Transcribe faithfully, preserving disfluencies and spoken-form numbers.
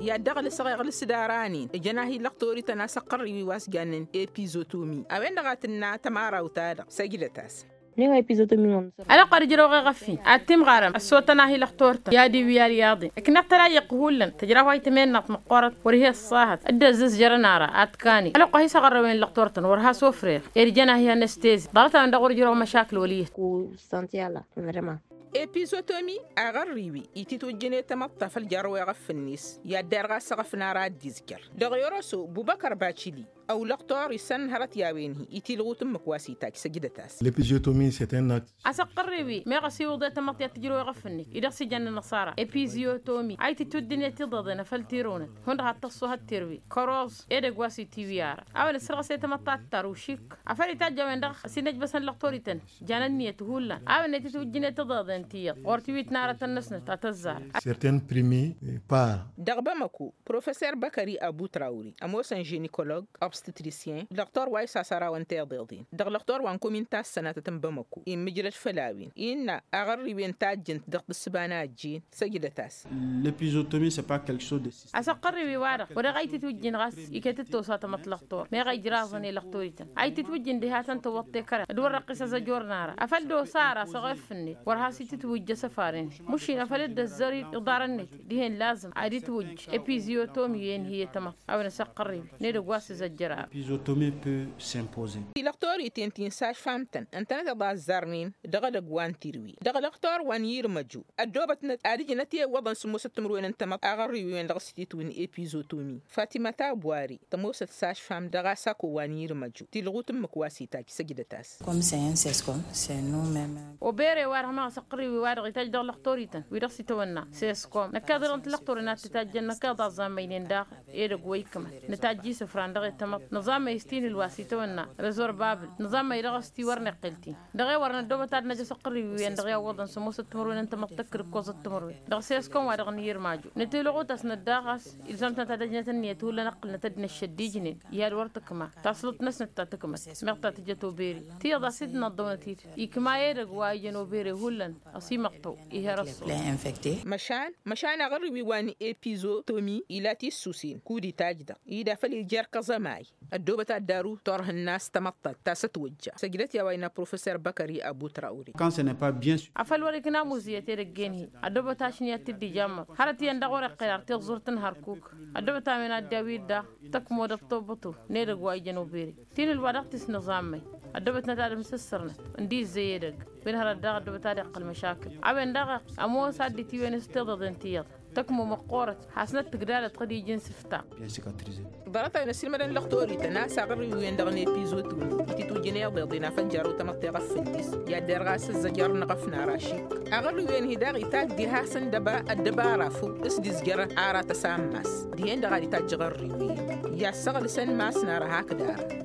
I-ad-dăɣ-lăsăɣ iɣlǝs d-aranen ǝjăn-ahi lăqtori-tăn a-s ăqqărriwi wa s-jannen epizotomi a-wen-dăɣ a tǝnna tămarawt-ta-dăɣ. Săjdăt-as. Ălwăqq ad-ǝjrăwăɣ eɣăffi ad-timɣarăm ăssotăn-ahi lăqtor-tăn i-ad-iwǝy alyaḍen ǝkneɣ tălayăɣt hullan tǝjraw a itămennăɣt măqqoorăt wăr hi-ăṣṣahăt. Dd-ăzzǝzjărăn ara ad-t-kanen ălwăqq a hi-săɣărrăwen lăqtor-tăn wăr has-ofreɣ ed jăn-ahi anăstezi ḍarăt-a-wen-dăɣ wăr ǝjrăwăɣ măšakǝl wăl' iyyăt. Ku santi ala vrema. Epizotomi aɣărriwi ititwǝjjǝn i-tamăḍt ta făl jarrăw eɣăf-net i-ad-derɣ a-s eɣăf n-ara ad-dd-izjăr. Dăɣ-yoroso bubăkăr bacili ăwlăɣ tori s-ănn hărăt i-a-wen-hi itilɣut ǝmmǝk wa s-itajj săjdăt-as. Lăpiziotomi s-e-ten-năk. A-s ăqqărriwi meɣ ăsiwǝḍ i-tamăḍt i-ad-tǝjrăw eɣăf-net i-dăɣ s-ijănnen ăṣara epiziyotomi a ititwǝddǝnet iḍeḍen afăl tirǝwnăt hundăɣ ad-tăṣṣuhăt tirǝwi. Kăroẓ edăgg wa s-itiwǝy ara a-wen ăssărɣăs i-tamăḍt ta tǝttar ušik afăl itajj a-wen-dăɣ ăsinăjbăsăn lăqtor-ităn. Jan ǝnniyăt hullan a-wen ititwǝjjǝnet iḍeḍen tiyyăḍ ɣur-tiwit n-aratăn-năsnăt a tăzzarăt. Certaine primi para. Dăɣ-bamăko professor băkări abu trawri ămoosăn žinikolog obstitrisyen lăqtor wa isasărawăn tiḍeḍen dăɣ-lăqtor wa n-komin ta s-sănatăt n-bamăko immǝjrăd făll-a-wen innă aɣărriwen tajjǝnt dăɣ-tǝssǝba n-ajjin. Săjdăt-as. Lăpizotomi s-e pa kălkăso de. A-s ăqqărriwi-wa-dăɣ wăr-e ɣa ititwǝjjǝn ɣas iket d-tosa tamăḍt lăqtor meɣ a ijraẓăn i-lăqtor-ităn a ititwǝjjǝn diha tăn-tăwwăḍ tekăre d-wăr răqqis azăjor n-ara afăl d-osa ara s-eɣef-net wăr has-ititwǝjj asăfar-in. Mušin afăl dd-ăzzăr iḍarăn-net dihen lazǝm ad-itwǝjj epiziyotomi-en hi-e tamăḍt a-wen ăsăqqărriwi n-edăgg wa s-izăjjăr ara. Epizotomi pe s-impoze. Ti lăqtor-iten ti n-saš fam-tăn ǝntănăteḍ a ăzzarnen dăɣ-edăgg wa n-tirǝwi dăɣ-lăqtor wa n-irmăju ăddoobătnăt ad-ǝjǝnăt i-iwwăḍăn sǝmmosăt timǝrwen n-tamăḍt aɣărriwen dăɣ-s ititwǝn epizotomi. Fatima tabwari tămoosăt saš fam dăɣ-asako wa n-irmăju tilɣut ǝmmǝk wa s-itajj săjdăt-as. Kom s-e-en s-eskom s-e-nu meme. Obere-wa-dăɣ meɣ s-ăqqărriwi-wa-dăɣ itajj dăɣ-lăqtor-ităn wi-dăɣ s-itawănna s-eskom năkkeḍ irăn tilăqtoren ad-t-itajjăn năkkeḍ aẓammăynen daɣ edăgg wa ikmăt nǝtajj isǝfran dăɣ-e tamăḍt nǝẓammăy s-tinǝl wa s-itawănna rezor babǝl nǝẓammăy dăɣ-s ti wăr n-iqqǝl-t-in. Dăɣ-e wăr năddoobăt ad-năj asăqqărriwi-wen-dăɣ i-awwăḍăn sămoosăt timǝrwen n-tamăḍt tăkkǝd ǝkkoẓăt timǝrwen dăɣ-seskom wa dăɣ-nǝyǝrmaju. Nǝtilɣut-asnăt daɣ a-s ilzam-tăn ad-ăjnăt ǝnniyăt hullan ǝqqǝlnăt ad-dd-năššăd d-ijnen i-ad-wăr tǝkma tasluḍt-năsnăt ta tǝkmăt meɣ ta tǝjăt obere tiyyăḍ a-s dd-năḍḍăwnăt-dd ikma i-edăgg wa ijăn obere hullan. Ăsimăṭṭăw ih'-e răssuḍ. Măšan măšan aɣărriwi wa n-epizotomi ila tissusen kud-itajj-dăɣ ida făl ija erk aẓămay. Ăddoobăt ad-daru turhǝnna a-s tamăḍt ta s-ătwăjja săjdăt i-a-wa innă professor băkări abu trawri. Afăl wăr-ikna amuzǝyăt edăgg-en-hi ăddoobăt ašni ad-t-dd-ijammăḍ hărăt iyyăn dăɣ-wăr-iqqel ar tiẓẓurt n-hărkuk. Ăddoobăt a-wen ad-dd-awid daɣ tăkmo d-ăṭṭobătu n-edăgg wa ijăn obere tinǝl wa dăɣ-t isnăẓammăy. Ăddoobătnăt ad-ǝmsǝssărnăt ǝndi izzăy edăgg wi n-hărăt daɣ ăddoobăt ad-iqqăl măšakǝl a-wen daɣ ămoos ad-dd-itiwăyăn s-tiḍeḍen tiyyăḍ. Tăkmo măqqoorăt hasnăt tǝgdalăt tăɣ-dd-iji n-sǝfta. Ḍarăt-a-wen ăsilmădăn lăqtor-ităn a-s aɣărriwen-dăɣ n-epizotun ititwǝjjǝn iḍeḍen a făl jarrăw tamăḍt teɣăf făll-s i-ad-derɣ a-s ǝzzăjărăn iɣăfnar ašik. Aɣărriwen-hi daɣ itajj diha-săn dăba ăddăbara făw s-dd-izjărăn aratăs ammas dihen-dăɣ ad-itajj aɣărriwen i-ad-săɣlǝsăn mass n-ara hakd ara.